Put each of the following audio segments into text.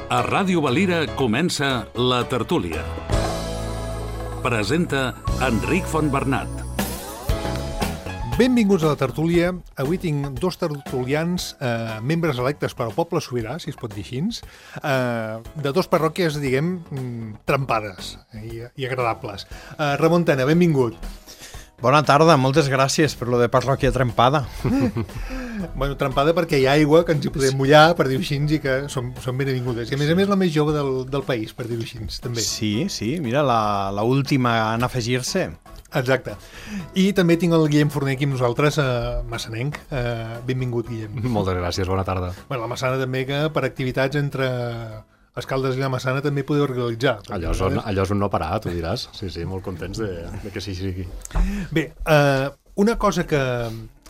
A Ràdio Valira comença La Tertúlia. Presenta Enric Fontbernat. Benvinguts a La Tertúlia. Avui tinc dos tertulians, membres electes per al poble sobirà, si es pot dir així, de dos parròquies, diguem, trempades i agradables. Ramon Tena, benvingut. Bona tarda, moltes gràcies per lo de parròquia trempada. Bueno, trempada perquè hi ha aigua que ens hi podem mullar, per dir-ho així, i que són benvingudes. I a més la més jove del país, per dir-ho així, també. Sí, mira, la última en afegir-se. Exacte. I també tinc el Guillem Forner aquí amb nosaltres, massanenc. Benvingut, Guillem. Moltes gràcies, bona tarda. Bueno, la Massana també, que per activitats entre Escaldes i la Massana també podeu organitzar. Allò és un no parar, tu diràs. Sí, molt contents de que sigui. Bé, una cosa que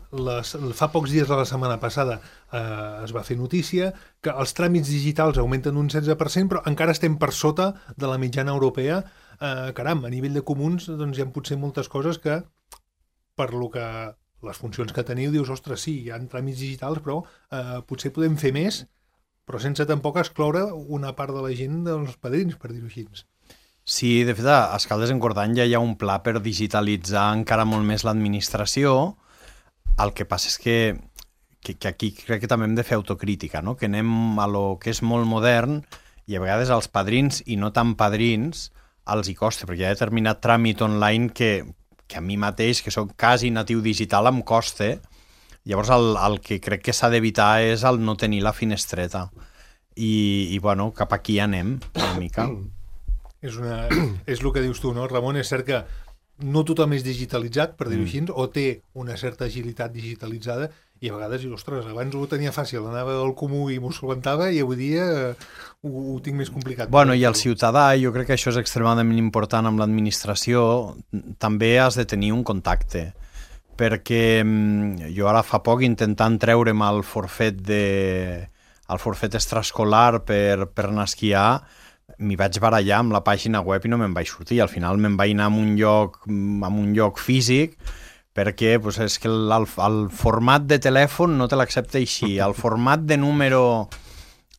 fa pocs dies de la setmana passada es va fer notícia, que els tràmits digitals augmenten un 16%, però encara estem per sota de la mitjana europea. Caram, a nivell de comuns doncs hi ha potser moltes coses que, per lo que les funcions que teniu, dius, ostres, sí, hi ha tràmits digitals, però potser podem fer més, però sense tampoc excloure una part de la gent dels padrins, per dir-ho així. Sí, de fet, a Escaldes en Cordany ja hi ha un pla per digitalitzar encara molt més l'administració. El que passa és que aquí crec que també hem de fer autocrítica, no? Que anem a lo que és molt modern i a vegades als padrins i no tan padrins els hi costa, perquè hi ha determinat tràmit online que a mi mateix, que soc quasi natiu digital, em costa. Llavors el que crec que s'ha d'evitar és el no tenir la finestreta. I bueno, cap aquí anem, una mica. És el que dius tu, no, Ramon? És cert que no tothom és digitalitzat, per dir-ho així, o té una certa agilitat digitalitzada, i a vegades, ostres, abans ho tenia fàcil, anava al comú i m'ho solventava, i avui dia ho tinc més complicat. Bueno, i el ciutadà, jo crec que això és extremadament important amb l'administració, també has de tenir un contacte, perquè jo ara fa poc intentant treure'm el forfet extraescolar per anar a esquiar, m'hi vaig barallar amb la pàgina web i no me'n vaig sortir. Al final me'n vaig anar a un lloc físic, perquè pues, és que el format de telèfon no te l'accepta així. El format de número...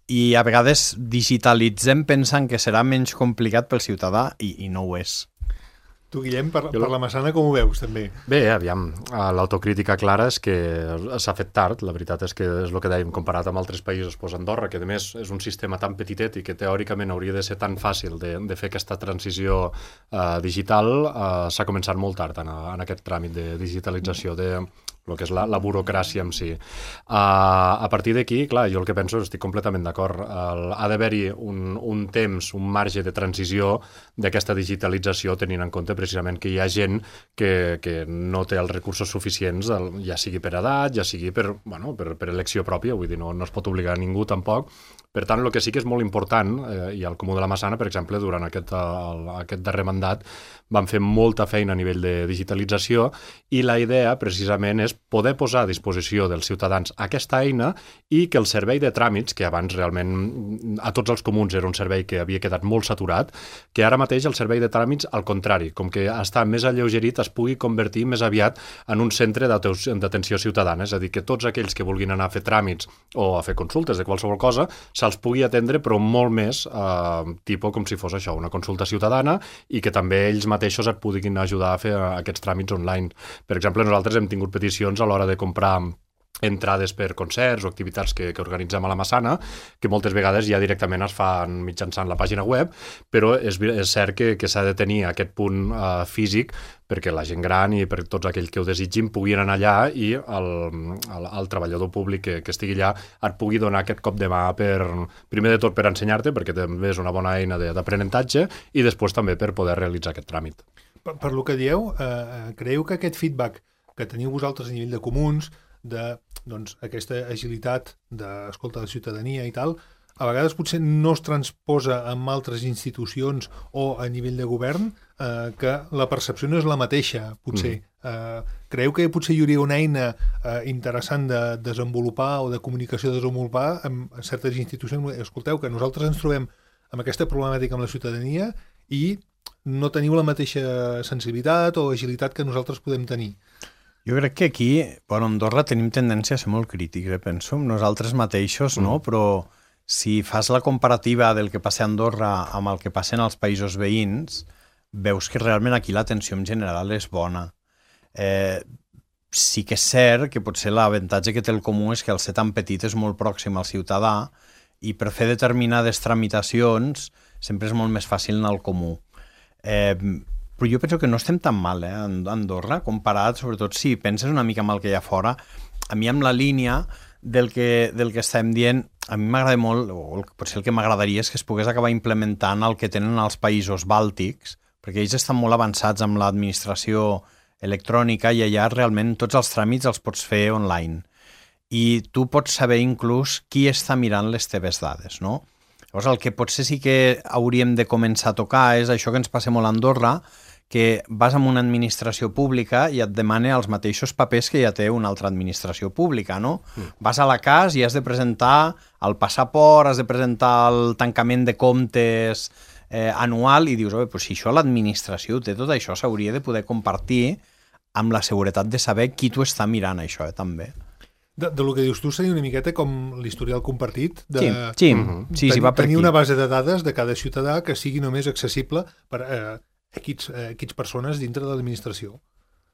I a vegades digitalitzem pensant que serà menys complicat pel ciutadà i no ho és. Tu, Guillem, per la Massana com ho veus, també? Bé, aviam, l'autocrítica clara és que s'ha fet tard, la veritat és que és el que dèiem, comparat amb altres països, Andorra, que a més és un sistema tan petitet i que teòricament hauria de ser tan fàcil de fer aquesta transició digital, s'ha començat molt tard en aquest tràmit de digitalització de el que és la burocràcia en si. A partir d'aquí, clar, jo el que penso, estic completament d'acord, ha d'haver-hi un temps, un marge de transició d'aquesta digitalització, tenint en compte precisament que hi ha gent que no té els recursos suficients, ja sigui per edat, ja sigui per elecció pròpia, vull dir, no es pot obligar a ningú tampoc. Per tant, el que sí que és molt important, i al Comú de la Massana, per exemple, durant aquest darrer mandat, van fer molta feina a nivell de digitalització i la idea, precisament, és poder posar a disposició dels ciutadans aquesta eina i que el servei de tràmits, que abans realment a tots els comuns era un servei que havia quedat molt saturat, que ara mateix el servei de tràmits, al contrari, com que està més alleugerit, es pugui convertir més aviat en un centre d'atenció ciutadana, és a dir, que tots aquells que vulguin anar a fer tràmits o a fer consultes de qualsevol cosa, se'ls pugui atendre, però molt més tipus com si fos això, una consulta ciutadana, i que també ells mateixos et puguin ajudar a fer aquests tràmits online. Per exemple, nosaltres hem tingut peticions a l'hora de comprar entrades per concerts o activitats que organitzem a la Massana, que moltes vegades ja directament es fan mitjançant la pàgina web, però és cert que s'ha de tenir aquest punt físic perquè la gent gran i per tots aquells que ho desitgin puguin anar allà i el treballador públic que estigui allà et pugui donar aquest cop de mà primer de tot per ensenyar-te, perquè també és una bona eina d'aprenentatge, i després també per poder realitzar aquest tràmit. Per lo que dieu, creieu que aquest feedback que teniu vosaltres a nivell de comuns, aquesta agilitat d'escolta de ciutadania i tal, a vegades potser no es transposa en altres institucions o a nivell de govern, que la percepció no és la mateixa, potser. Creieu que potser hi hauria una eina interessant de desenvolupar o de comunicació de desenvolupar en certes institucions? Escolteu, que nosaltres ens trobem amb aquesta problemàtica amb la ciutadania i no teniu la mateixa sensibilitat o agilitat que nosaltres podem tenir. Jo crec que aquí, a Andorra, tenim tendència a ser molt crítics, penso, nosaltres mateixos, no? Però si fas la comparativa del que passa a Andorra amb el que passa en els països veïns, veus que realment aquí l'atenció en general és bona. Sí que és cert que potser l'avantatge que té el comú és que al ser tan petit és molt pròxim al ciutadà i per fer determinades tramitacions sempre és molt més fàcil anar al comú. Però jo penso que no estem tan mal a Andorra, comparat, sobretot si penses una mica amb el que hi ha fora. A mi amb la línia del que estem dient, a mi m'agrada molt, o potser el que m'agradaria és que es pogués acabar implementant el que tenen els països bàltics, perquè ells estan molt avançats amb l'administració electrònica i allà realment tots els tràmits els pots fer online. I tu pots saber inclús qui està mirant les teves dades, no? Llavors, el que potser sí que hauríem de començar a tocar és això que ens passa molt a Andorra, que vas a una administració pública i et demana els mateixos papers que ja té una altra administració pública, no? Vas a la CAS i has de presentar el passaport, has de presentar el tancament de comptes anual i dius, pues si això l'administració té tot això, s'hauria de poder compartir amb la seguretat de saber qui t'ho està mirant, això, també. De lo que dius tu seria una miqueta com l'historial compartit de sí, va per tenir aquí. Una base de dades de cada ciutadà que sigui només accessible per equips persones dintre de l'administració.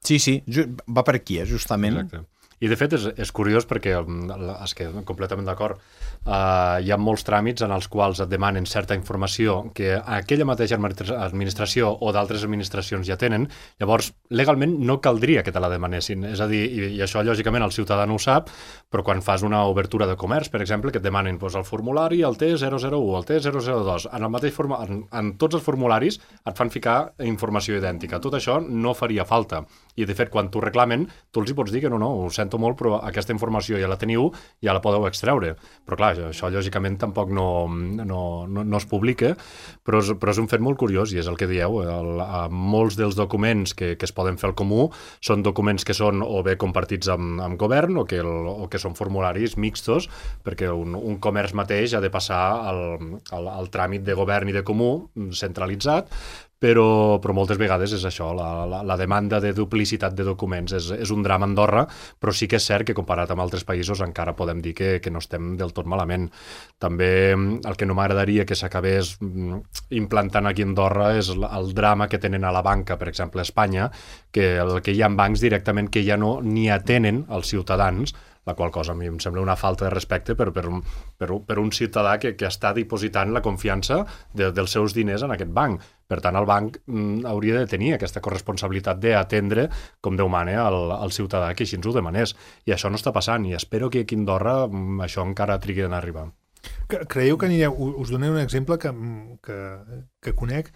Sí, va per aquí, justament. Exacte. I de fet és curiós perquè, és que completament d'acord, hi ha molts tràmits en els quals et demanen certa informació que aquella mateixa administració o d'altres administracions ja tenen, llavors legalment no caldria que te la demanessin, és a dir, i això lògicament el ciutadà no ho sap, però quan fas una obertura de comerç, per exemple, que et demanen el formulari, el T001, el T002, en el mateix en tots els formularis et fan ficar informació idèntica. Tot això no faria falta. I de fet, quan t'ho reclamen, tu els hi pots dir que no, ho sento molt, però aquesta informació ja la teniu, ja la podeu extreure. Però clar, això lògicament tampoc no es publica, però és un fet molt curiós i és el que dieu. Molts dels documents que es poden fer al comú són documents que són o bé compartits amb govern o que són formularis mixtos, perquè un comerç mateix ha de passar al tràmit de govern i de comú centralitzat, però moltes vegades és això, la demanda de duplicitat de documents és un drama a Andorra, però sí que és cert que comparat amb altres països encara podem dir que no estem del tot malament. També el que no m'agradaria que s'acabés implantant aquí a Andorra és el drama que tenen a la banca, per exemple a Espanya, que hi ha bancs directament que ja no ni atenen els ciutadans, la qual cosa a mi em sembla una falta de respecte per un ciutadà que està dipositant la confiança dels seus diners en aquest banc. Per tant, el banc hauria de tenir aquesta corresponsabilitat d'atendre, com Déu mana, al ciutadà que així ens ho demanés. I això no està passant, i espero que aquí a Andorra això encara trigui en arribar. Creieu que anireu... Us donaré un exemple que conec.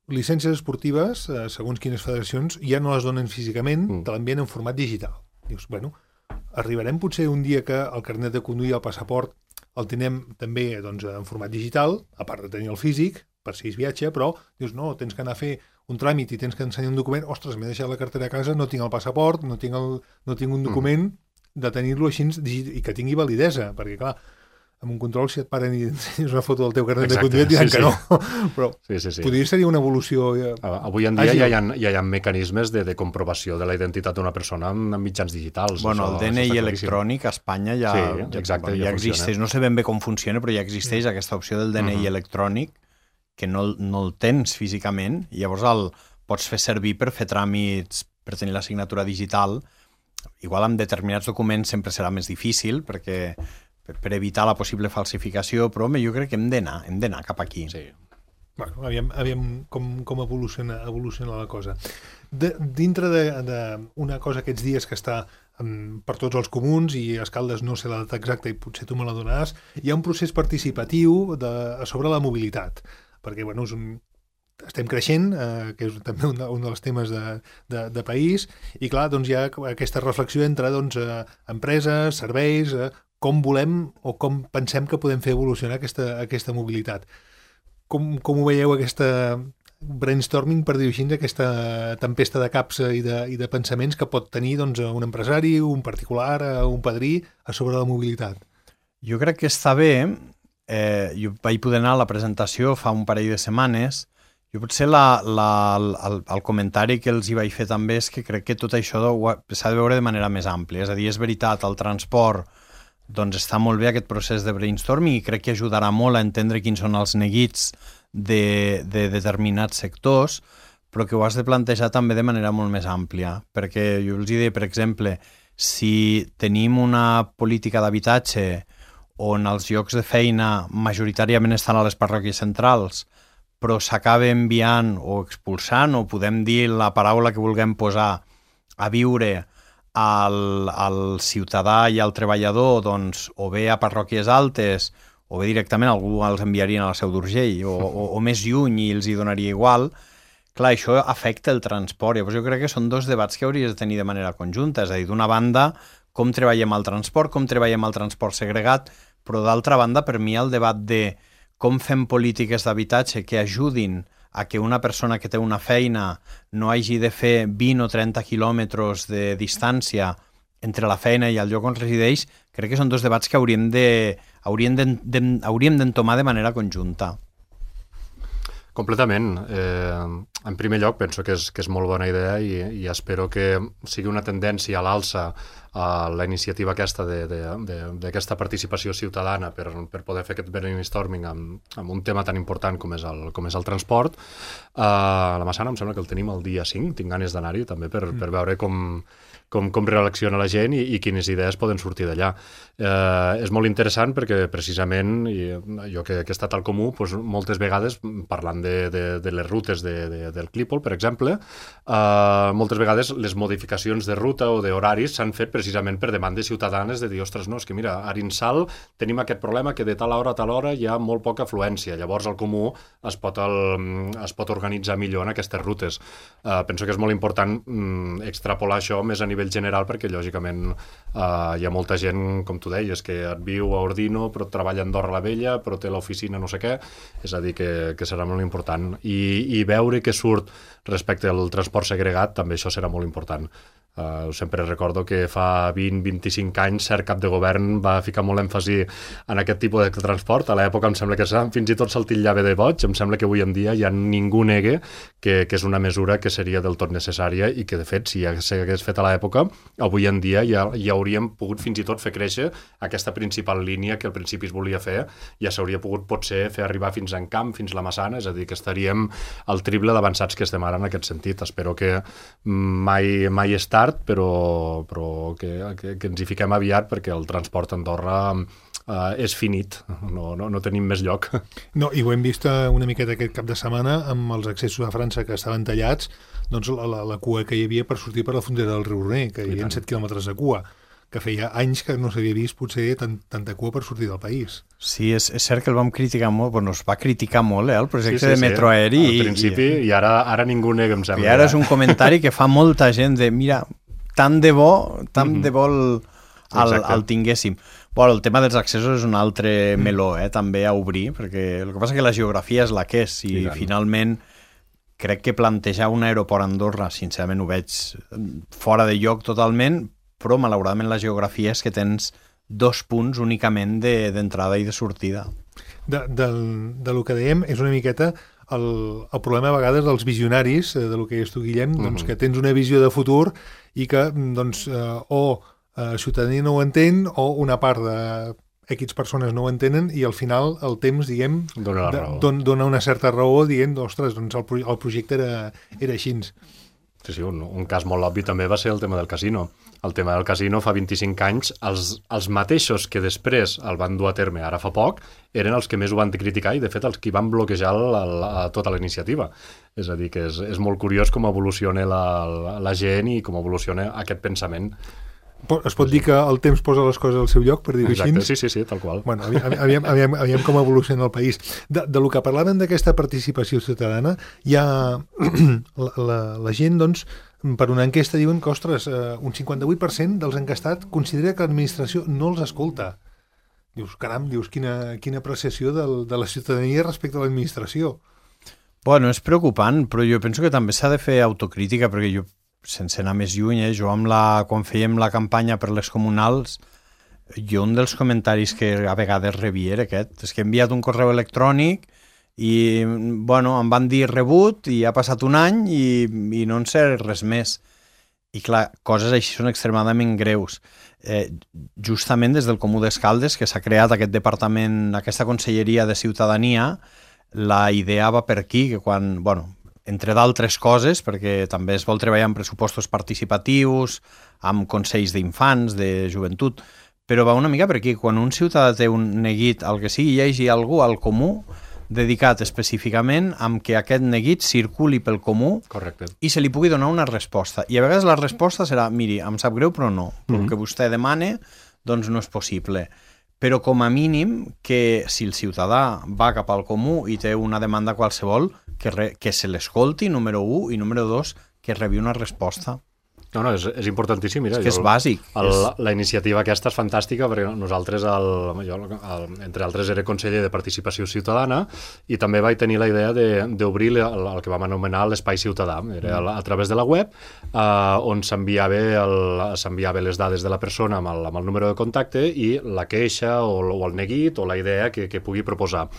Llicències esportives, segons quines federacions, ja no les donen físicament, te l'envien en format digital. Dius, bueno, arribarem potser un dia que el carnet de conduir, el passaport, el tenem també en format digital, a part de tenir el físic, per si es viatge, però dius, no, tens que anar a fer un tràmit i tens que ensenyar un document, ostres, m'he deixat la cartera a casa, no tinc el passaport, no tinc un document de tenir-lo així i que tingui validesa, perquè clar, amb un control, si et paren i ensenyes una foto del teu carnet de conduir, et diran que no. Però podria ser una evolució... Avui en dia ja hi ha mecanismes de comprovació de la identitat d'una persona amb mitjans digitals. Bueno, el DNI electrònic a Espanya ja existeix. No sé ben bé com funciona, però ja existeix aquesta opció del DNI electrònic, que no el tens físicament, i llavors el pots fer servir per fer tràmits, per tenir la signatura digital. Igual amb determinats documents sempre serà més difícil, perquè per evitar la possible falsificació, però home, jo crec que hem d'anar cap aquí. Sí. Bueno, aviam com evoluciona la cosa. Dintre d'una cosa aquests dies que està per tots els comuns, i a Escaldes no sé la data exacta i potser tu me la donaràs, hi ha un procés participatiu sobre la mobilitat, perquè bueno, estem creixent, que és també un dels temes de país, i clar, doncs hi ha aquesta reflexió entre empreses, serveis, com volem o com pensem que podem fer evolucionar aquesta mobilitat. Com ho veieu, aquesta brainstorming, per dir-ho així, aquesta tempesta de caps i de pensaments que pot tenir un empresari, un particular, un padrí a sobre la mobilitat? Jo crec que està bé. Jo vaig poder anar a la presentació fa un parell de setmanes. Jo potser el comentari que els hi vaig fer també és que crec que tot això s'ha de veure de manera més àmplia. És a dir, és veritat, el transport doncs està molt bé aquest procés de brainstorming i crec que ajudarà molt a entendre quins són els neguits de determinats sectors, però que ho has de plantejar també de manera molt més àmplia, perquè jo els diré, per exemple, si tenim una política d'habitatge on els llocs de feina majoritàriament estan a les parròquies centrals, però s'acaba enviant o expulsant, o podem dir la paraula que vulguem posar, a viure al ciutadà i al treballador, doncs, o bé a parròquies altes, o bé directament algú els enviarien a la Seu d'Urgell, o més lluny i els hi donaria igual. Clar, això afecta el transport. Llavors jo crec que són dos debats que hauries de tenir de manera conjunta. És a dir, d'una banda, com treballem el transport, com treballem el transport segregat, però d'altra banda, per mi, el debat de com fem polítiques d'habitatge que ajudin a que una persona que té una feina no hagi de fer 20 o 30 quilòmetres de distància entre la feina i el lloc on resideix, crec que són dos debats que hauríem d'entomar de manera conjunta. Completament. En primer lloc, penso que és molt bona idea i espero que sigui una tendència a l'alça a la iniciativa aquesta d'aquesta participació ciutadana per poder fer aquest brainstorming amb un tema tan important com és el transport. A la Massana em sembla que el tenim el dia 5, tinc ganes d'anar-hi també per veure com reacciona la gent i quines idees poden sortir d'allà. És molt interessant perquè precisament jo que he estat al Comú, doncs, moltes vegades parlant de les rutes del Clípol, per exemple, moltes vegades les modificacions de ruta o d'horaris s'han fet precisament per demandes ciutadanes de dir, ostres, no, és que mira, a Arinsal tenim aquest problema que de tal hora a tal hora hi ha molt poca afluència, llavors al Comú es pot organitzar millor en aquestes rutes. Penso que és molt important extrapolar això més a nivell general perquè lògicament hi ha molta gent, com tu deies, que et viu a Ordino però treballa a Andorra la Vella, però té l'oficina no sé què, és a dir que serà molt important i veure què surt respecte al transport segregat, també això serà molt important. Sempre recordo que fa 20-25 anys cert cap de govern va ficar molt èmfasi en aquest tipus de transport. A l'època em sembla que fins i tot se'l titllava de boig. Em sembla que avui en dia ja ningú negue que és una mesura que seria del tot necessària i que, de fet, si ja s'hagués fet a l'època, avui en dia ja hauríem pogut fins i tot fer créixer aquesta principal línia que al principi es volia fer. Ja s'hauria pogut, potser, fer arribar fins a Encamp, fins a la Massana, és a dir, que estaríem al triple d'avançats que estem ara en aquest sentit. Espero que mai és tard, però que ens hi fiquem aviat perquè el transport a Andorra és finit, no tenim més lloc. No, i ho hem vist una miqueta aquest cap de setmana amb els accessos a França que estaven tallats, doncs la cua que hi havia per sortir per la frontera del riu Roner, que hi havia 7 quilòmetres de cua, que feia anys que no s'havia vist potser tanta cua per sortir del país. Sí, és cert que el vam criticar molt, bueno, es va criticar molt, el projecte de metro aeri. Al principi, i ara ningú nega, em sembla. I ara és un comentari que fa molta gent de, mira, tant de bo el tinguéssim. Bueno, el tema dels accessos és un altre meló, també a obrir, perquè el que passa és que la geografia és la que és, i finalment crec que plantejar un aeroport a Andorra, sincerament ho veig fora de lloc totalment, però malauradament la geografia és que tens 2 punts únicament d'entrada i de sortida. Del que dèiem és una miqueta el problema a vegades dels visionaris, del que deies tu, Guillem, doncs, que tens una visió de futur i que doncs, o la ciutadania no ho entén o una part de X persones no ho entenen i al final el temps, diguem, dona una certa raó dient, ostres, doncs el projecte era així. Sí, un cas molt obvi també va ser el tema del casino. El tema del casino fa 25 anys, els mateixos que després el van dur a terme ara fa poc, eren els que més ho van criticar i, de fet, els que van bloquejar tota la iniciativa. És a dir, que és molt curiós com evoluciona la gent i com evoluciona aquest pensament. Es pot dir que el temps posa les coses al seu lloc, per dir-ho així? Exacte, sí, tal qual. Bueno, aviam com evoluciona el país. De lo que parlaven d'aquesta participació ciutadana, hi ha la gent, doncs, per una enquesta diuen que, ostres, un 58% dels encastats considera que l'administració no els escolta. Dius, caram, quina apreciació de la ciutadania respecte a l'administració. Bueno, és preocupant, però jo penso que també s'ha de fer autocrítica, perquè jo, sense anar més lluny, quan fèiem la campanya per les comunals, un dels comentaris que a vegades rebia era aquest, és que he enviat un correu electrònic i, bueno, em van dir rebut i ha passat un any i no en sé res més. I clar, coses així són extremadament greus. Justament des del Comú d'Escaldes, que s'ha creat aquest departament, aquesta conselleria de ciutadania, la idea va per aquí, que quan, entre d'altres coses, perquè també es vol treballar amb pressupostos participatius, amb consells d'infants, de joventut, però va una mica per aquí. Quan un ciutadà té un neguit, el que sigui, hi hagi algú al comú dedicat específicament amb que aquest neguit circuli pel comú. Correcte. I se li pugui donar una resposta. I a vegades la resposta serà, miri, em sap greu, però no. El que vostè demana, doncs no és possible. Però com a mínim que si el ciutadà va cap al comú i té una demanda qualsevol, que se l'escolti, número 1, i número 2, que rebi una resposta. No, és importantíssim. Mira, és que és bàsic. La iniciativa aquesta és fantàstica perquè nosaltres, jo, entre altres, era conseller de Participació Ciutadana i també vaig tenir la idea d'obrir el que vam anomenar l'espai ciutadà. Era a través de la web on s'enviava les dades de la persona amb el número de contacte i la queixa o el neguit o la idea que pugui proposar.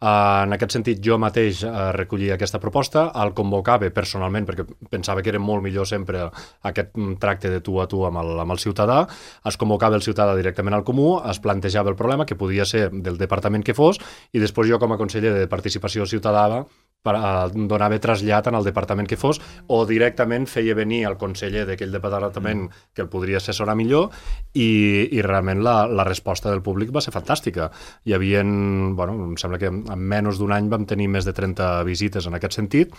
En aquest sentit, jo mateix recollia aquesta proposta, el convocava personalment, perquè pensava que era molt millor sempre aquest tracte de tu a tu amb el ciutadà, es convocava el ciutadà directament al comú, es plantejava el problema, que podia ser del departament que fos, i després jo, com a conseller de Participació Ciutadana, donava trasllat en el departament que fos o directament feia venir el conseller d'aquell departament que el podria assessorar millor i realment la resposta del públic va ser fantàstica. Hi havia, em sembla que en menys d'un any vam tenir més de 30 visites en aquest sentit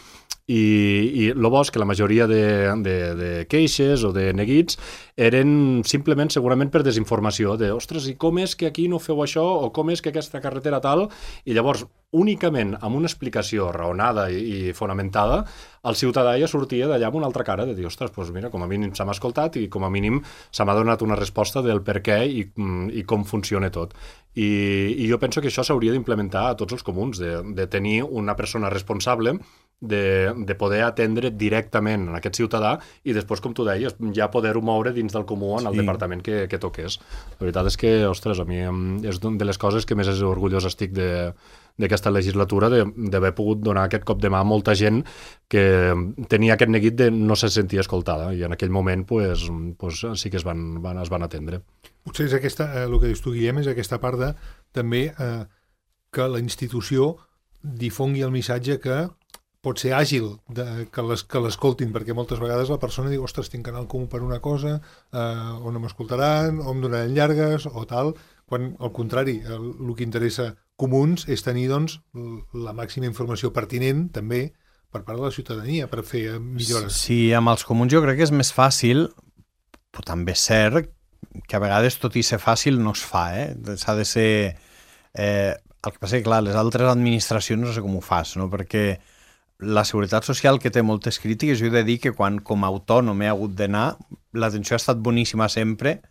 i el bo és que la majoria de queixes o de neguits eren simplement segurament per desinformació de, ostres, i com és que aquí no feu això o com és que aquesta carretera tal, i llavors únicament amb una explicació raonada i fonamentada, el ciutadà ja sortia d'allà amb una altra cara de dir, ostres, doncs mira, com a mínim se m'ha escoltat i com a mínim se m'ha donat una resposta del per què i com funciona tot. I jo penso que això s'hauria d'implementar a tots els comuns, de tenir una persona responsable de poder atendre directament a aquest ciutadà i després, com tu deies, ja poder-ho moure dins del comú en el departament que toqués. La veritat és que, ostres, a mi és una de les coses que més orgullós estic d'aquesta legislatura, d'haver pogut donar aquest cop de mà a molta gent que tenia aquest neguit de no se sentia escoltada i en aquell moment pues, sí que es van atendre. Potser és aquesta, el que dius tu, Guillem, és aquesta part de també que la institució difongui el missatge que pot ser àgil, que l'escoltin, perquè moltes vegades la persona diu, ostres, tinc que anar al comú per una cosa, o no m'escoltaran, o em donaran llargues, o tal, quan, al contrari, el que interessa comuns és tenir, doncs, la màxima informació pertinent, també, per part de la ciutadania, per fer millores. Sí, amb els comuns jo crec que és més fàcil, però també és cert que a vegades tot i ser fàcil no es fa, s'ha de ser... El que passa és que, clar, les altres administracions no sé com ho fas, no? Perquè la Seguretat Social, que té moltes crítiques, jo he de dir que quan com a autònom he hagut d'anar, l'atenció ha estat boníssima sempre,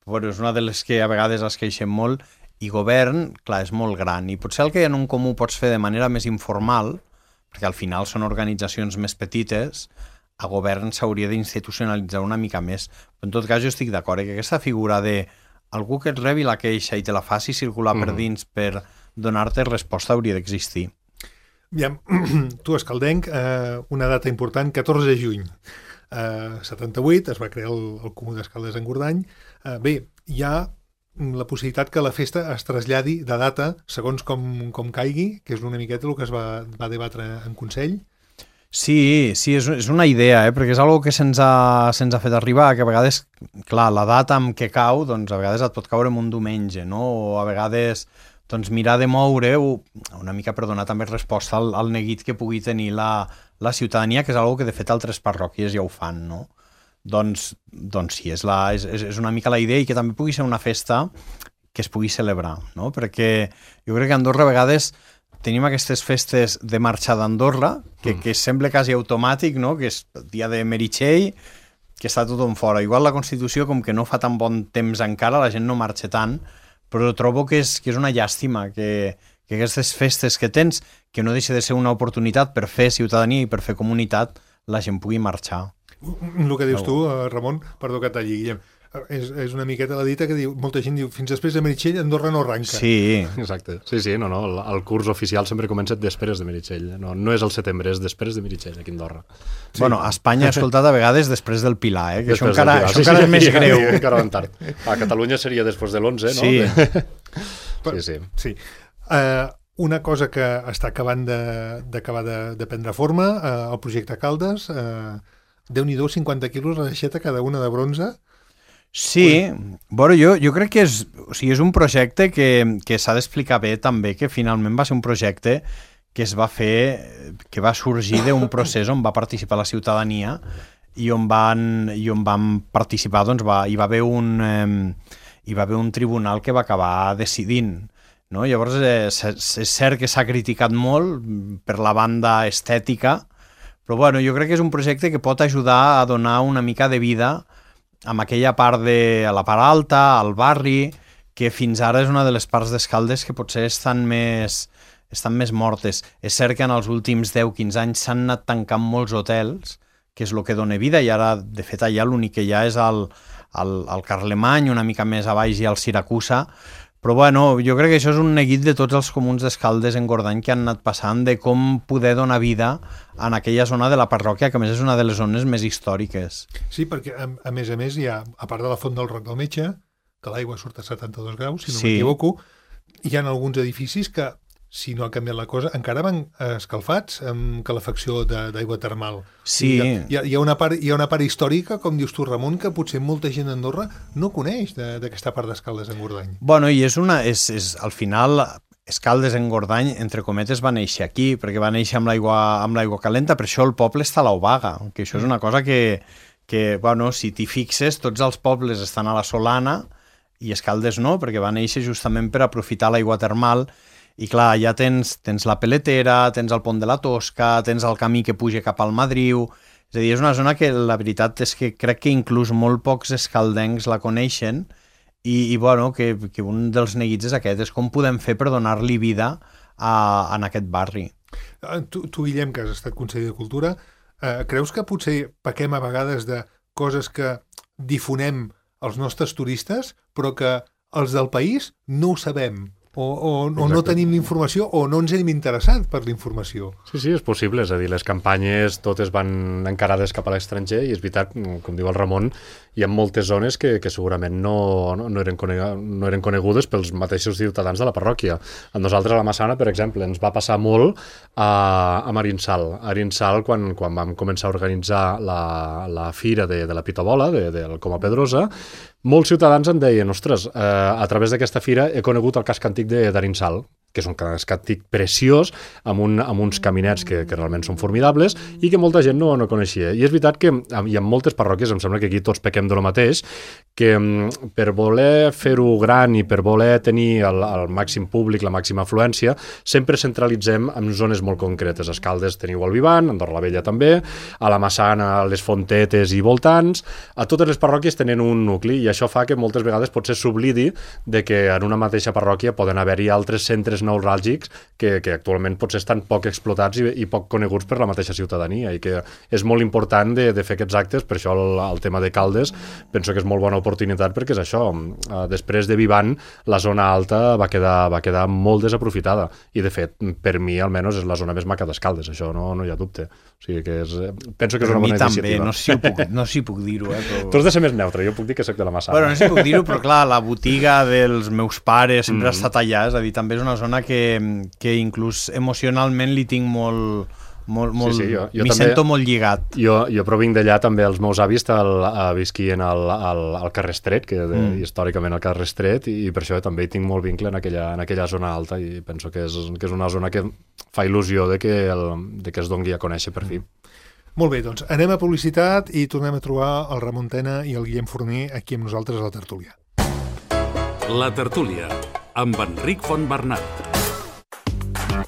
però és una de les que a vegades es queixen molt, i govern, clar, és molt gran, i potser el que en un comú pots fer de manera més informal, perquè al final són organitzacions més petites, a govern s'hauria d'institucionalitzar una mica més. Però en tot cas jo estic d'acord, que aquesta figura de algú que et rebi la queixa i te la faci circular per dins per donar-te resposta hauria d'existir. Ja, tu, escaldenc, una data important, 14 de juny. 78 es va crear el Comú d'Escaldes en Gordany. Bé, hi ha la possibilitat que la festa es traslladi de data segons com caigui, que és una miqueta el que es va debatre en Consell. Sí, és una idea, perquè és una que se'ns ha fet arribar, que a vegades, clar, la data amb què cau, doncs a vegades et pot caure en un diumenge, no? O a vegades doncs mirar de moure una mica per donar també resposta al neguit que pugui tenir la ciutadania, que és una que de fet altres parròquies ja ho fan, no? Doncs sí, és una mica la idea, i que també pugui ser una festa que es pugui celebrar, no? Perquè jo crec que a Andorra a vegades tenim aquestes festes de marxa d'Andorra, que sembla quasi automàtic, no? Que és el dia de Meritxell, que està tothom fora. Igual la Constitució, com que no fa tan bon temps encara, la gent no marxa tant, però trobo que és una llàstima que aquestes festes que tens, que no deixa de ser una oportunitat per fer ciutadania i per fer comunitat, la gent pugui marxar. El que dius tu, Ramon, perdó que et talli, Guillem, és una miqueta la dita que diu, molta gent diu, fins després de Meritxell Andorra no arranca. Sí. Exacte. Sí, no, el curs oficial sempre comença després de Meritxell. No és el setembre, és després de Meritxell, aquí a Andorra. Sí. Bueno, a Espanya he escoltat a vegades després del Pilar, que això encara és més greu. Encara van tard. A Catalunya seria després de l'11, no? Sí. Sí. Una cosa que està acabant d'acabar de prendre forma, el projecte Caldes, Déu-n'hi-do, 50 quilos la deixeta cada una de bronze. Sí, bueno, jo crec que és un projecte que s'ha d'explicar bé també, que finalment va ser un projecte que es va fer, que va sorgir d'un procés on va participar la ciutadania i on van participar, doncs hi va haver un tribunal que va acabar decidint. No? Llavors, és cert que s'ha criticat molt per la banda estètica, però bueno, jo crec que és un projecte que pot ajudar a donar una mica de vida a aquella part a la part alta, al barri, que fins ara és una de les parts d'Escaldes que potser estan més mortes. És cert que en els últims 10-15 anys s'han anat tancant molts hotels, que és el que dona vida, i ara, de fet, allà l'únic que hi ha és el Carlemany, una mica més a baix, i el Siracusa. Però bueno, jo crec que això és un neguit de tots els comuns d'Escaldes en Gordany que han anat passant, de com poder donar vida en aquella zona de la parròquia, que a més és una de les zones més històriques. Sí, perquè a més hi ha, a part de la Font del Roc del Metge, que l'aigua surt a 72 graus, si no m'equivoco, hi ha alguns edificis que, si no ha canviat la cosa, encara van escalfats amb calefacció d'aigua termal. Sí. Hi ha una part històrica, com dius tu, Ramon, que potser molta gent d'Andorra no coneix d'aquesta part d'Escaldes en Gordany. Bueno, i al final, Escaldes en Gordany, entre cometes, va néixer aquí, perquè va néixer amb l'aigua calenta, per això el poble està a l'Obaga, que això és una cosa que bueno, si t'hi fixes, tots els pobles estan a la Solana i Escaldes no, perquè va néixer justament per aprofitar l'aigua termal. I clar, ja tens la Peletera, tens el pont de la Tosca, tens el camí que puja cap al Madriu. És a dir, és una zona que la veritat és que crec que inclús molt pocs escaldencs la coneixen i bueno, que un dels neguits és aquest, és com podem fer per donar-li vida en aquest barri. Tu, Guillem, que has estat conseller de Cultura, creus que potser pequem a vegades de coses que difonem als nostres turistes, però que els del país no ho sabem? O no tenim l'informació o no ens hem interessat per la informació. Sí, és possible, és a dir, les campanyes totes van encarades cap a l'estranger i és veritat, com diu el Ramon, hi ha moltes zones que segurament no eren conegudes pels mateixos ciutadans de la parròquia. A nosaltres a la Massana, per exemple, ens va passar molt a Marinsal. A Arinsal, quan vam començar a organitzar la fira de la Pitabola, del Coma Pedrosa, molts ciutadans em deien, ostres, a través d'aquesta fira he conegut el casc antic d'Arinsal, que és un casc antic preciós, amb uns caminets que realment són formidables i que molta gent no coneixia. I és veritat que hi ha moltes parròquies, em sembla que aquí tots pequem de lo mateix, que per voler fer-ho gran i per voler tenir el màxim públic, la màxima afluència, sempre centralitzem en zones molt concretes. A Escaldes teniu el Vivan, a Andorra la Vella també, a la Massana, les Fontetes i voltants, a totes les parròquies tenen un nucli i això fa que moltes vegades potser s'oblidi de que en una mateixa parròquia poden haver-hi altres centres neuràlgics que actualment potser estan poc explotats i poc coneguts per la mateixa ciutadania i que és molt important de fer aquests actes. Per això el tema de Caldes penso que és molt bona oportunitat perquè és això, després de Vivan la zona alta va quedar molt desaprofitada i de fet per mi almenys és la zona més maca d'Escaldes, això no hi ha dubte, o sigui que penso que és una bona iniciativa. També, no si puc dir-ho. Però... Tu has de ser més neutre, jo puc dir que soc de la Massana. Bueno, no sé si puc dir-ho, però clar, la botiga dels meus pares sempre ha estat allà, és a dir, també és una zona que inclús emocionalment li tinc molt sí, jo m'hi també, sento molt lligat. Jo provinc d'allà també, els meus avis visquien al carrer Estret, que històricament al carrer Estret, i per això també hi tinc molt vincle en aquella zona alta i penso que és una zona que fa il·lusió de que es doni a conèixer per fi. Molt bé, doncs anem a publicitat i tornem a trobar el Ramon Tena i el Guillem Forner aquí amb nosaltres a la tertúlia. La tertúlia, amb Enric Fontbernat.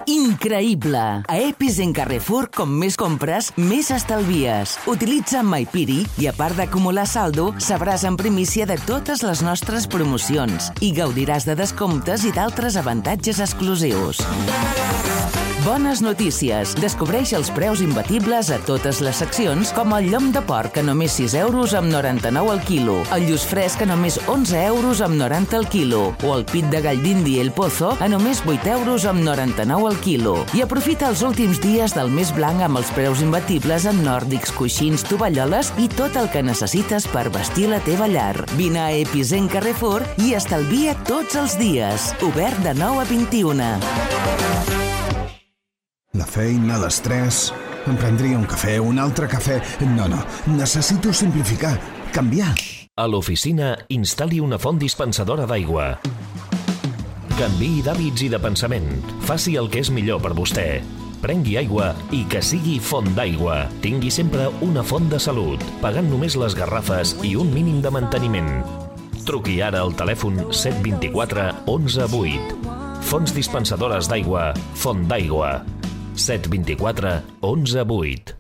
Increïble! A Epicent Carrefour, com més compres, més estalvies. Utilitza MyPiri i, a part d'acumular saldo, sabràs en primícia de totes les nostres promocions i gaudiràs de descomptes i d'altres avantatges exclusius. Bones notícies! Descobreix els preus imbatibles a totes les seccions, com el llom de porc a només 6 euros amb 99 al quilo, el lluç fresc a només 11 euros amb 90 al quilo, o el pit de gall d'Indi El Pozo a només 8 euros amb 99 al quilo. I aprofita els últims dies del mes blanc amb els preus imbatibles en nòrdics, coixins, tovalloles i tot el que necessites per vestir la teva llar. Vine a Epicent Carrefour i estalvia tots els dies. Obert de 9 a 21. La feina, l'estrès... Em prendria un cafè, un altre cafè... No, necessito simplificar, canviar. A l'oficina, instal·li una font dispensadora d'aigua. Canviï d'hàbits i de pensament. Faci el que és millor per vostè. Prengui aigua i que sigui font d'aigua. Tingui sempre una font de salut, pagant només les garrafes i un mínim de manteniment. Truqui ara al telèfon 724 11 8. Fonts dispensadores d'aigua, Font d'Aigua. 724 11 8.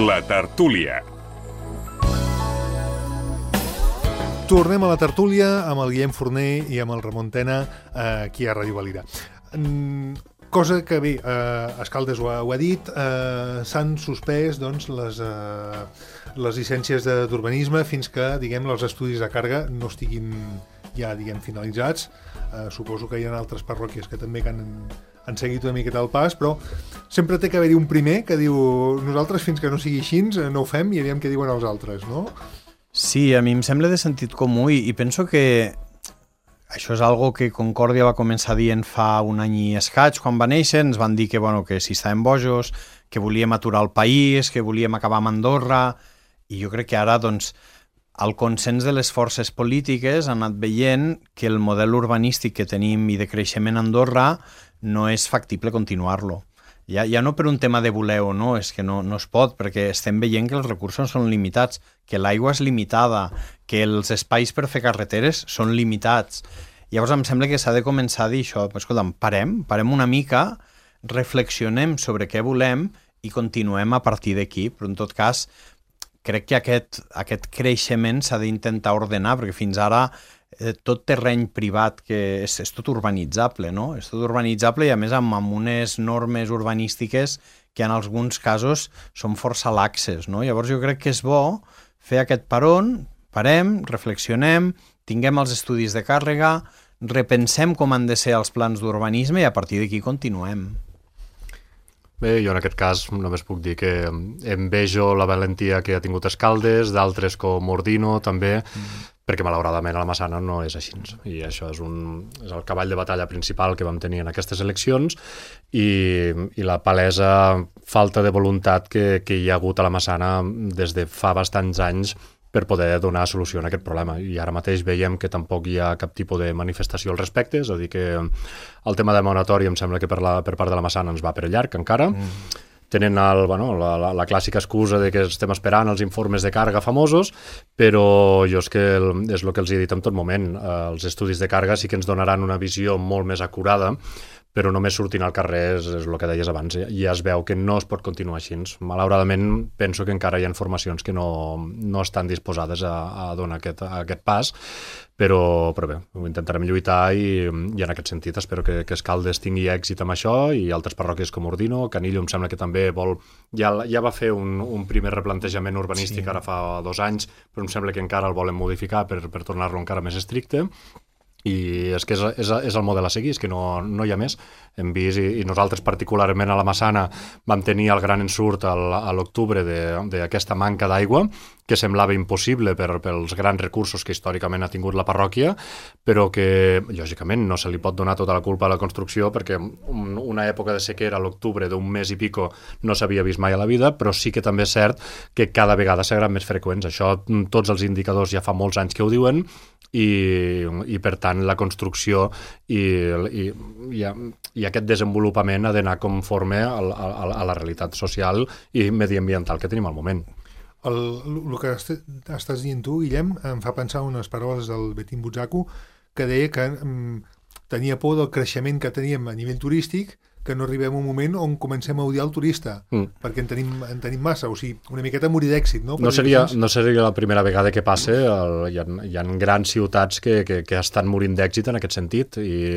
La tertúlia. Tornem a la tertúlia amb el Guillem Forner i amb el Ramon Tena aquí a Ràdio Valira. Cosa que, bé, Escaldes ho ha dit, s'han suspès doncs, les llicències d'urbanisme fins que, diguem, els estudis de càrrega no estiguin ja, diguem, finalitzats. Suposo que hi ha altres parròquies que també han seguit una miqueta el pas, però sempre té que haver-hi un primer que diu nosaltres fins que no sigui així no ho fem i aviam què diuen els altres, no? Sí, a mi em sembla de sentit comú i penso que això és algo que Concòrdia va començar dient fa un any i escaig, quan va néixer, ens van dir que, que si estàvem bojos, que volíem aturar el país, que volíem acabar amb Andorra, i jo crec que ara, doncs, el consens de les forces polítiques ha anat veient que el model urbanístic que tenim i de creixement a Andorra no és factible continuar-lo. Ja no per un tema de voler o no, és que no es pot, perquè estem veient que els recursos són limitats, que l'aigua és limitada, que els espais per fer carreteres són limitats. Llavors em sembla que s'ha de començar a dir això, escolta'm, parem una mica, reflexionem sobre què volem i continuem a partir d'aquí, però en tot cas crec que aquest creixement s'ha d'intentar ordenar, perquè fins ara tot terreny privat que és tot urbanitzable, no? És tot urbanitzable i a més amb unes normes urbanístiques que en alguns casos són força laxes, no? Llavors jo crec que és bo fer aquest parem, reflexionem, tinguem els estudis de càrrega, repensem com han de ser els plans d'urbanisme i a partir d'aquí continuem. Bé, jo en aquest cas només puc dir que envejo la valentia que ha tingut Escaldes, d'altres com Ordino també, perquè malauradament a la Massana no és així. I això és el cavall de batalla principal que vam tenir en aquestes eleccions i la palesa falta de voluntat que hi ha hagut a la Massana des de fa bastants anys per poder donar solució a aquest problema. I ara mateix veiem que tampoc hi ha cap tipus de manifestació al respecte, és a dir, que el tema de moratori em sembla que per part de la Massana ens va per llarg encara. Tenen la clàssica excusa de que estem esperant els informes de càrrega famosos, però jo és el que els he dit en tot moment. Els estudis de càrrega sí que ens donaran una visió molt més acurada, però només sortint al carrer és el que deies abans. Ja es veu que no es pot continuar així. Malauradament, penso que encara hi ha formacions que no estan disposades a donar aquest pas, però bé, ho intentarem lluitar i en aquest sentit espero que Escaldes tingui èxit amb això i altres parròquies com Ordino. Canillo em sembla que també ja va fer un primer replantejament urbanístic ara fa 2 anys, però em sembla que encara el volen modificar per tornar-lo encara més estricte. I és que és el model a seguir, és que no hi ha més. Hem vist, i nosaltres particularment a la Massana vam tenir el gran ensurt a l'octubre d'aquesta manca d'aigua, que semblava impossible pels grans recursos que històricament ha tingut la parròquia, però que, lògicament, no se li pot donar tota la culpa a la construcció, perquè una època de sequera a l'octubre d'un mes i pico no s'havia vist mai a la vida, però sí que també és cert que cada vegada seran més freqüents. Això tots els indicadors ja fa molts anys que ho diuen, i per tant la construcció i aquest desenvolupament ha d'anar conforme a la realitat social i mediambiental que tenim al moment. El que estàs dient tu, Guillem, em fa pensar unes paraules del Betim Butzaku, que deia que tenia por del creixement que teníem a nivell turístic, que no arribem a un moment on comencem a odiar el turista, perquè en tenim massa, o sigui, una miqueta morir d'èxit, no? No seria la primera vegada que passa, hi ha grans ciutats que estan morint d'èxit en aquest sentit, i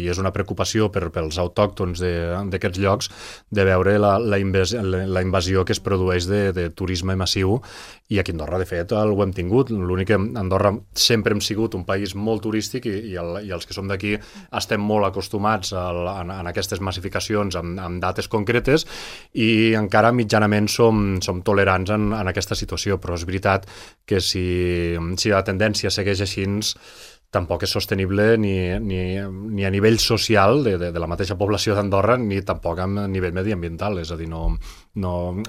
és una preocupació pels autòctons d'aquests llocs de veure la invasió que es produeix de turisme massiu, i aquí a Andorra, de fet, ho hem tingut. L'únic que a Andorra sempre hem sigut un país molt turístic i els que som d'aquí estem molt acostumats en aquestes massificacions amb dates concretes i encara mitjanament som tolerants en aquesta situació, però és veritat que si la tendència segueix així tampoc és sostenible ni a nivell social de la mateixa població d'Andorra ni tampoc a nivell mediambiental, és a dir,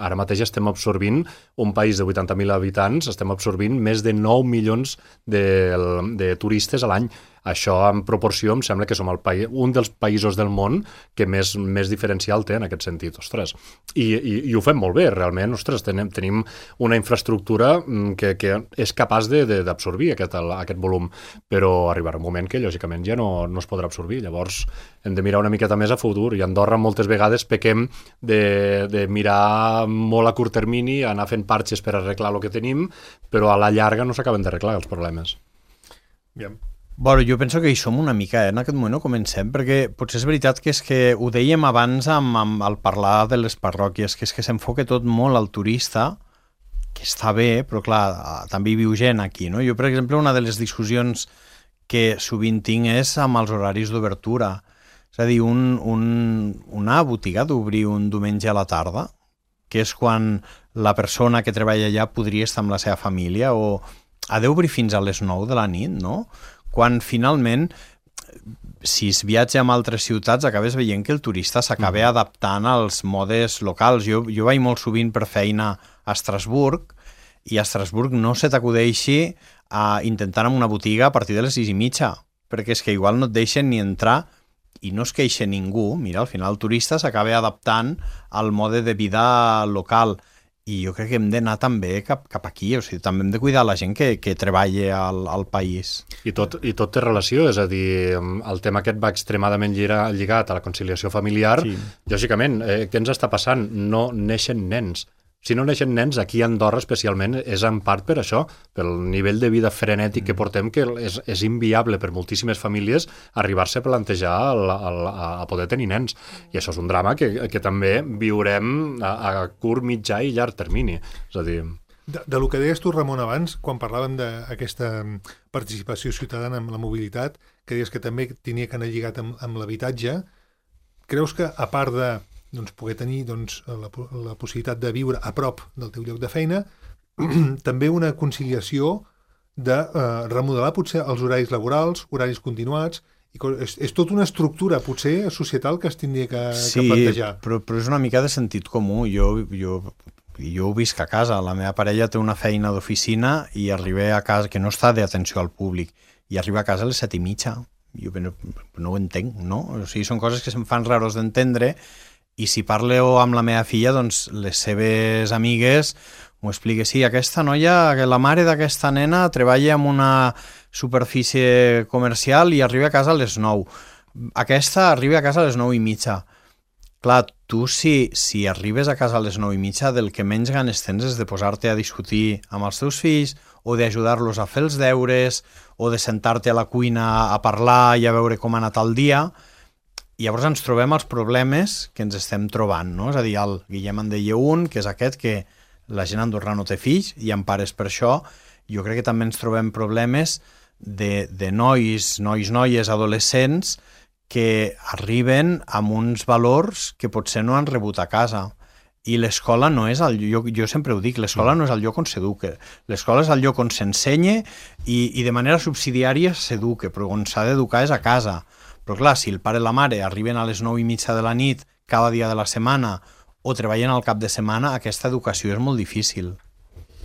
ara mateix estem absorbint un país de 80.000 habitants, estem absorbint més de 9 milions de turistes a l'any. Això, en proporció, em sembla que som un dels països del món que més diferencial té en aquest sentit. Ostres, i ho fem molt bé, realment. Ostres, tenim una infraestructura que és capaç d'absorbir aquest volum, però arribarà un moment que, lògicament, ja no es podrà absorbir. Llavors, hem de mirar una miqueta més a futur. I a Andorra moltes vegades pequem de mirar molt a curt termini, anar fent parxes per arreglar el que tenim, però a la llarga no s'acaben d'arreglar els problemes. Bien. Bueno, jo penso que hi som una mica, en aquest moment no comencem, perquè potser és veritat que ho dèiem abans al parlar de les parròquies, que és que s'enfoca tot molt al turista, que està bé, però clar, també hi viu gent aquí, no? Jo, per exemple, una de les discussions que sovint tinc és amb els horaris d'obertura. És a dir, una botiga d'obrir un diumenge a la tarda, que és quan la persona que treballa allà podria estar amb la seva família, o ha d'obrir fins a les 9 de la nit, no? Quan finalment, si es viatja a altres ciutats, acabes veient que el turista s'acaba adaptant als modes locals. Jo vaig molt sovint per feina a Estrasburg, i a Estrasburg no se t'acudeixi a intentar en una botiga a partir de les 6:30, perquè és que igual no et deixen ni entrar i no es queixa ningú. Mira, al final el turista s'acaba adaptant al mode de vida local. I jo crec que hem d'anar també cap aquí, o sigui, també hem de cuidar la gent que treballa al país. I tot té relació, és a dir, el tema aquest va extremadament lligat a la conciliació familiar. Sí. Lògicament, què ens està passant? No neixen nens. Si no neixen nens, aquí a Andorra especialment, és en part per això, pel nivell de vida frenètic que portem, que és inviable per moltíssimes famílies arribar-se a plantejar a poder tenir nens. I això és un drama que també viurem a curt, mitjà i llarg termini. És a dir... De lo que deies tu, Ramon, abans, quan parlàvem d'aquesta participació ciutadana amb la mobilitat, que deies que també tenia que anar lligat amb l'habitatge, creus que, a part de poder tenir la possibilitat de viure a prop del teu lloc de feina, també una conciliació de remodelar potser els horaris laborals, horaris continuats, és tota una estructura potser societal que es tindria que plantejar. Sí, però és una mica de sentit comú. Jo ho visc a casa, la meva parella té una feina d'oficina i arriba a casa, que no està d'atenció al públic, i arriba a casa a les 7:30. Jo no ho entenc, no? O sigui, són coses que se'm fan raros d'entendre. I si parlo amb la meva filla, doncs les seves amigues m'ho expliquen. Sí, aquesta noia, la mare d'aquesta nena treballa en una superfície comercial i arriba a casa a les 9. Aquesta arriba a casa a les 9:30. Clar, tu si arribes a casa a les 9:30, del que menys ganes tens és de posar-te a discutir amb els teus fills o d'ajudar-los a fer els deures o de sentar-te a la cuina a parlar i a veure com ha anat el dia. I llavors ens trobem els problemes que ens estem trobant, no? És a dir, el Guillem en deia un, que és aquest, que la gent andorrà no té fills i en pares per això. Jo crec que també ens trobem problemes de noies, adolescents, que arriben amb uns valors que potser no han rebut a casa. I l'escola no és el lloc, jo sempre ho dic, l'escola no és el lloc on s'educa. L'escola és el lloc on s'ensenya i de manera subsidiària s'educa, però on s'ha d'educar és a casa. Però clar, si el pare i la mare arriben a les 9:30 de la nit cada dia de la setmana o treballen al cap de setmana, aquesta educació és molt difícil.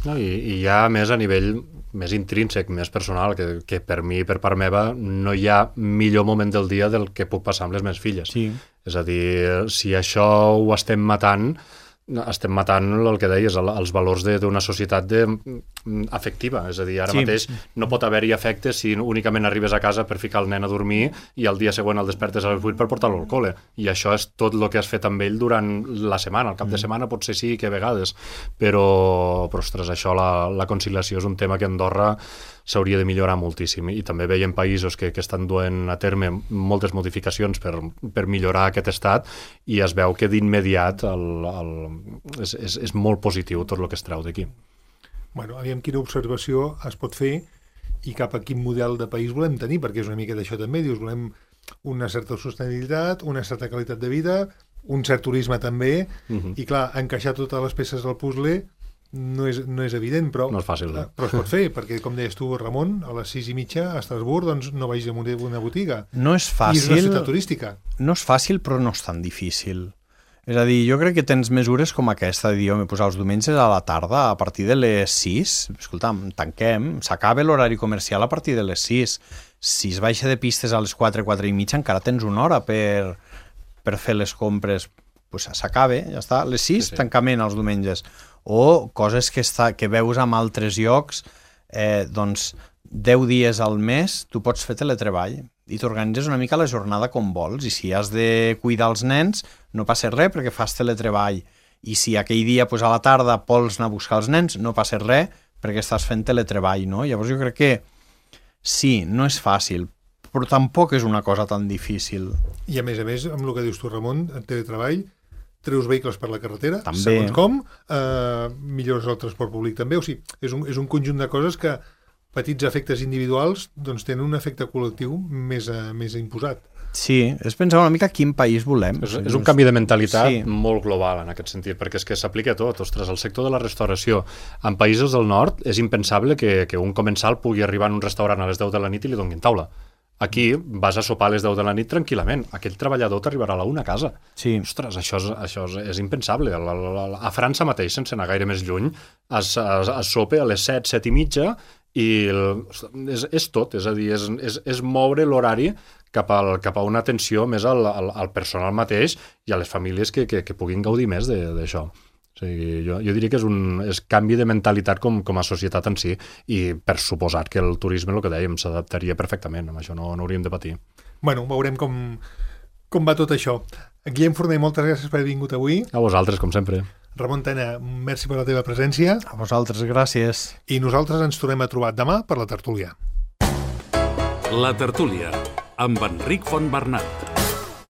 No, i ja més a nivell més intrínsec, més personal, que per mi, per part meva, no hi ha millor moment del dia del que puc passar amb les meves filles. Sí. És a dir, si això ho estem matant el que deies, els valors d'una societat afectiva. És a dir, ara mateix no pot haver-hi afecte si únicament arribes a casa per ficar el nen a dormir i al dia següent el despertes a les 8 per portar-lo al col·le. I això és tot el que has fet amb ell durant la setmana. El cap de setmana potser sí que a vegades, però ostres, això, la conciliació és un tema que a Andorra s'hauria de millorar moltíssim, i també veiem països que estan duent a terme moltes modificacions per millorar aquest estat, i es veu que d'immediat és molt positiu tot el que es treu d'aquí. Bueno, aviam quina observació es pot fer i cap a quin model de país volem tenir, perquè és una mica d'això també, dius, volem una certa sostenibilitat, una certa qualitat de vida, un cert turisme també, i clar, encaixar totes les peces del puzzle no és evident, però no és fàcil, però es pot fer, perquè com deies tu, Ramon, a les 6:30 a Estrasburg, doncs no vagis a una botiga. No és fàcil. I és una ciutat turística. No és fàcil, però no és tan difícil. És a dir, jo crec que tens mesures com aquesta, de dir, posar els diumenges a la tarda a partir de les 6, escolta'm, tanquem, s'acaba l'horari comercial a partir de les 6. Si es baixa de pistes a les 4, 4:30, encara tens una hora per fer les compres. Pues s'acaba, ja està. A les 6, sí. Tancament els diumenges. O coses que veus en altres llocs, doncs 10 dies al mes tu pots fer teletreball i t'organitzes una mica la jornada com vols, i si has de cuidar els nens no passa res perquè fas teletreball, i si aquell dia a la tarda vols anar a buscar els nens no passa res perquè estàs fent teletreball, no? Llavors jo crec que sí, no és fàcil, però tampoc és una cosa tan difícil. I a més, amb el que dius tu, Ramon, en teletreball, treus vehicles per la carretera, també. Segons com, millores el transport públic també, o sigui, és un conjunt de coses que petits efectes individuals doncs tenen un efecte col·lectiu més imposat. Sí, és pensar una mica quin país volem. És un canvi de mentalitat molt global en aquest sentit, perquè és que s'aplica a tot. Ostres, el sector de la restauració. En països del nord és impensable que un comensal pugui arribar en un restaurant a les 10 de la nit i li donin taula. Aquí vas a sopar a les 10 de la nit tranquil·lament. Aquell treballador t'arribarà a la 1 a casa. Sí. Ostres, això és impensable. A França mateix, sense anar gaire més lluny, es sopa a les 7, 7:30, i és tot. És a dir, és moure l'horari cap a una atenció més al personal mateix i a les famílies que puguin gaudir més d'això. O sigui, jo diria que és canvi de mentalitat com a societat en si, i per suposat que el turisme, el que dèiem, s'adaptaria perfectament. Amb això no hauríem de patir. Bueno, veurem com va tot això. Guillem Forner, moltes gràcies per haver vingut avui. A vosaltres, com sempre. Ramon Tena, merci per la teva presència. A vosaltres, gràcies. I nosaltres ens tornem a trobar demà per la tertúlia. La tertúlia, amb Enric Fontbernat.